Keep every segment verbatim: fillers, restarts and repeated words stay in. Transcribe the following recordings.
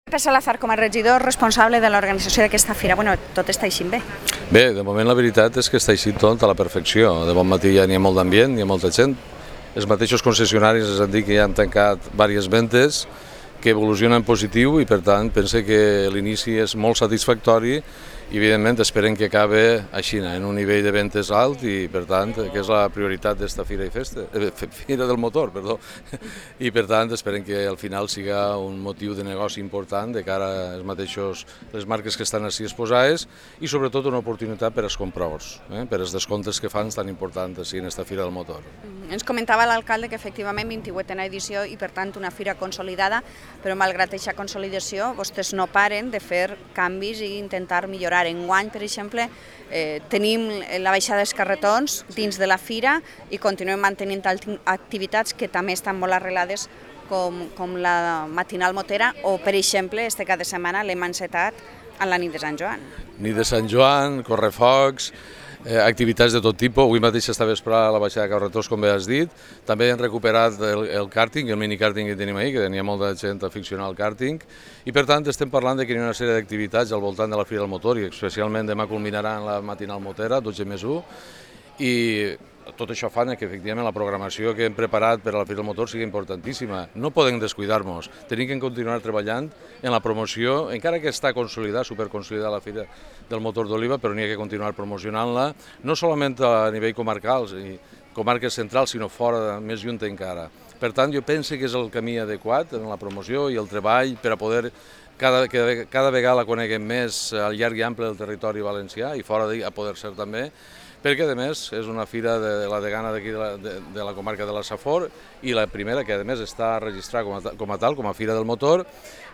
Pepe Salazar, com a regidor responsable de l'organització d'aquesta fira, bueno, tot està eixint bé. Bé, de moment la veritat és que està eixint tot a la perfecció. De bon matí ja n'hi ha molt d'ambient, hi ha molta gent. Els mateixos concessionaris ens han dit que ja han tancat diverses ventes, que evolucionen en positiu i per tant pense que l'inici és molt satisfactori i evidentment esperem que acabe així, en un nivell de ventes alt i per tant que és la prioritat d'esta fira i festa, eh, fira del motor, perdó, i per tant esperem que al final siga un motiu de negoci important de cara als mateixos, les marques que estan així exposades i sobretot una oportunitat per als compradors, eh, per als descomptes que fan tan importants així en esta fira del motor. Ens comentava l'alcalde que efectivament vint-i-vuitena edició i per tant una fira consolidada, però malgrat aquesta consolidació vostès no paren de fer canvis i intentar millorar. Enguany, per exemple, eh, tenim la baixada dels carretons dins de la fira i continuem mantenint activitats que també estan molt arrelades com, com la matinal motera o, per exemple, este cap de setmana l'hem encetat a la nit de Sant Joan. Nit de Sant Joan, correfocs, Eh, activitats de tot tipus. Avui mateix està vesprada la baixada de carretons, com bé has dit. També hem recuperat el, el kàrting, el mini-kàrting que tenim ahir, que tenia molta gent aficionada al kàrting, i per tant estem parlant que hi ha una sèrie d'activitats al voltant de la Fira del Motor, i especialment demà culminarà en la matinal motera, dotze més u, i tot això fa que efectivament la programació que hem preparat per a la Fira del Motor sigui importantíssima. No podem descuidar-nos, tenim que continuar treballant en la promoció, encara que està consolidada, superconsolidada la Fira del Motor d'Oliva, però n'hi ha que continuar promocionant-la, no solament a nivell comarcal i comarques centrals, sinó fora, més lluny encara. Per tant, jo penso que és el camí adequat en la promoció i el treball per a poder cada, cada, cada vegada la coneguem més al llarg i ample del territori valencià i fora a poder ser també, perquè a més és una fira de la degana d'aquí de, de, de la comarca de la Safor i la primera que a més està registrada com a, com a tal, com a Fira del Motor,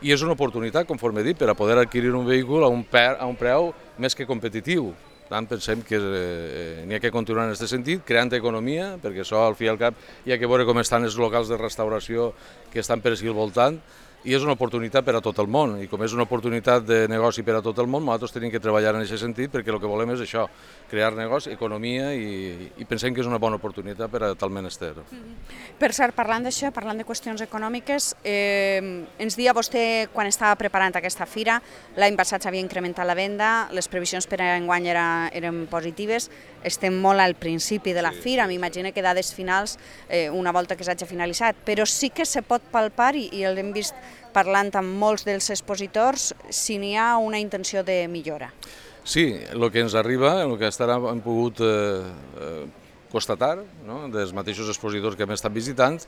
i és una oportunitat, conforme he dit, per a poder adquirir un vehicle a un, per, a un preu més que competitiu. Per tant, pensem que eh, n'hi ha que continuar en aquest sentit, creant economia, perquè això al fi i al cap hi ha que veure com estan els locals de restauració que estan per aquí al voltant, i és una oportunitat per a tot el món, i com és una oportunitat de negoci per a tot el món, nosaltres tenim que treballar en aquest sentit perquè el que volem és això, crear negoci, economia, i, i pensem que és una bona oportunitat per a tal menester. Per cert, parlant d'això, parlant de qüestions econòmiques, eh, ens dia vostè, quan estava preparant aquesta fira, l'any passat s'havia incrementat la venda, les previsions per a enguany era, eren positives, estem molt al principi de la fira, m'imagino que dades finals, eh, una volta que s'hagi finalitzat, però sí que se pot palpar, i, i l'hem vist parlant amb molts dels expositors, si n'hi ha una intenció de millora. Sí, el que ens arriba, el que hem pogut eh, eh, constatar, no?, dels mateixos expositors que hem estat visitant,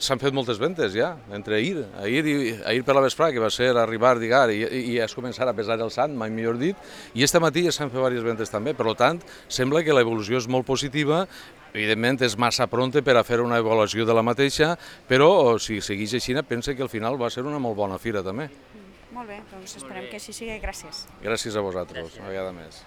s'han fet moltes ventes ja, entre ahir, ahir, i, ahir per la vesprada, que va ser arribar, digar, i, i és començar a pesar el sant, mai millor dit, i este matí ja s'han fet diverses ventes també, per tant, sembla que l'evolució és molt positiva. Evidentment és massa pronte per a fer una avaluació de la mateixa, però si segueix així, penso que al final va ser una molt bona fira també. Molt bé, doncs esperem que així sigui. Gràcies. Gràcies a vosaltres, una vegada més.